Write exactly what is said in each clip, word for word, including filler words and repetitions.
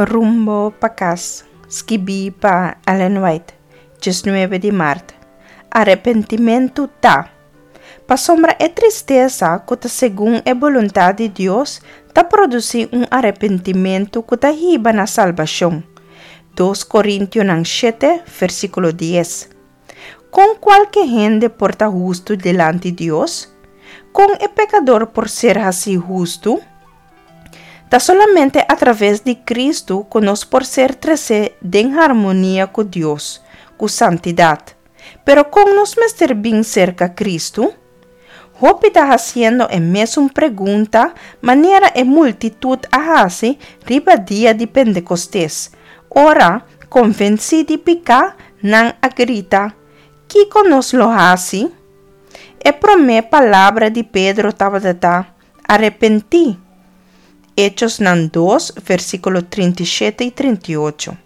Rumbo pa Kas, skibí pa Ellen White, diesnuebe di mart. Arepentimentu ta. Pasobra e tristesa ku ta segun e boluntat di Dios ta produsí un arepentimentu ku ta hiba na salbashon. Dos Korintionan shete, versíkulo dies. Kon kualke hende por ta hustu dilanti Dios? Kon e pekador por ser hasí hustu? Ta solamente a traves di Kristu ku nos por ser tresé den harmonia ku Dios, ku santidat. Pero kon nos mester bin serka Kristu? Hopi ta hasiendo e mesun pregunta manera e multitut a hasi riba dia di Pentekostes. Ora, konvensí di piká, nan a grita, Kiko nos lo hasi? E promé palabra di Pedro tabata, Arepentí. Echosnan dos, versíkulo trinta i shete i trinta i ocho.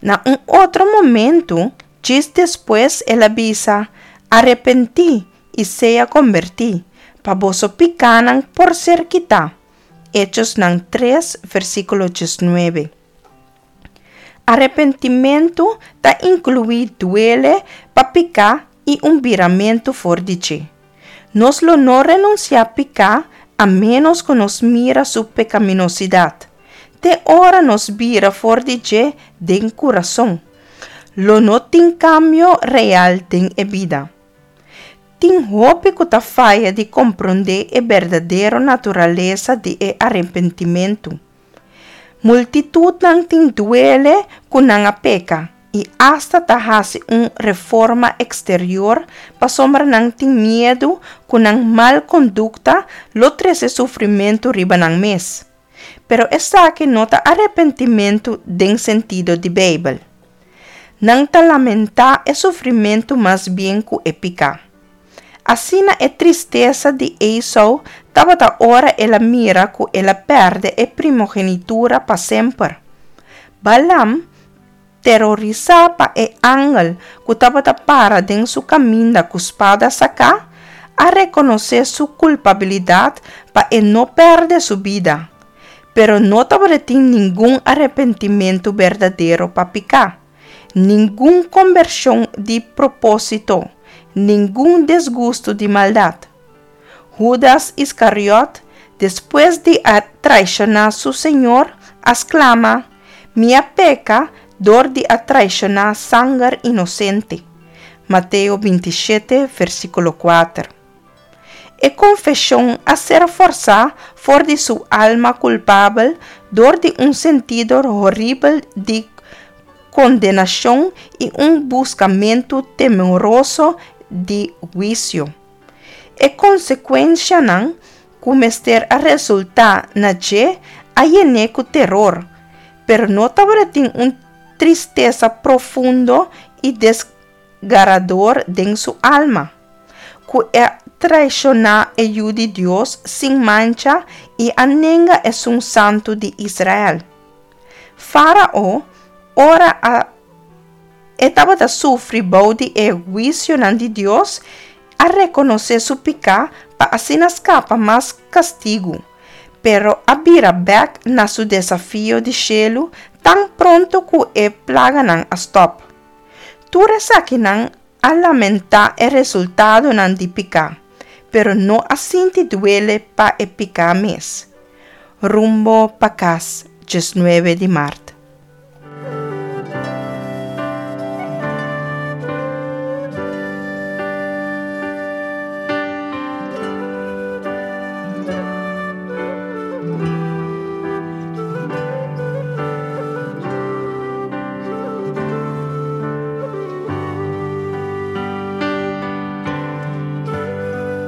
Na un otro momento, djis despues el a bisa, Arepentí i sea kombertí, pa boso pikánan por ser kitá. Echosnan tres, versíkulo diesnuebe. Arepentimentu ta inkluí duele pa piká i un biramentu for di dje. Nos lo no renunsiá piká a ménos ku nos mira su pekaminosidat. Te ora nos bira for di dje den kurason, lo no tin kambio real den e bida. Tin hopi ku ta faya di komprondé e berdadero naturalesa di e arepentimentu. Multitutnan tin duele ku nan a peka i asta ta hasi un reforma eksterior pasobra nan tin miedu ku nan mal kondukta lo trese sufrimentu riba nan mes. Pero esaki no ta arepentimentu den sentido di Beibel. Nan ta lamentá e sufrimentu mas bien ku e piká. Asina e tristesa di Esau tabata ora el a mira ku el a pèrdè e primogenitura pa semper. Balaam, terorisá pa e angel ku tabata para den su kaminda ku spada saká, a rekonosé su kulpabilidat pa e no pèrdè su bida. Pero no tabatin ningun arepentimentu berdadero pa piká, ningun kombershon di propósito, ningun disgustu di maldat. Hudas Iskariot, despues di a traishoná su Señor, a sklama, Mi a peka dor di a traishoná sanger inosente. Mateo binti i shete, versíkulo kuater. E konfeshon a ser forsá for di su alma kulpabel dor di un sentido horibel di kondenashon i un buskamentu temoroso di huisio. E konsekuenshanan ku mester a resultá na dje a yen'é ku teror, pero no tabatin un tristesa profundo i desgarador den su alma, ku a traishoná e Yu di Dios sin mancha i a nenga Esun Santu di Israel. Fárao, ora a e tabata sufri bou di e huisionan di Dios, a rekonosé su piká pa asina skapa mas kastigu, pero a bira bèk na su desafio di shelu tan pronto ku e plaganan a stòp. Tur esakinan a lamentá e resultadonan di piká, pero no a sinti duele pa e piká mes. Rumbo pa Kas, diesnuebe di mart.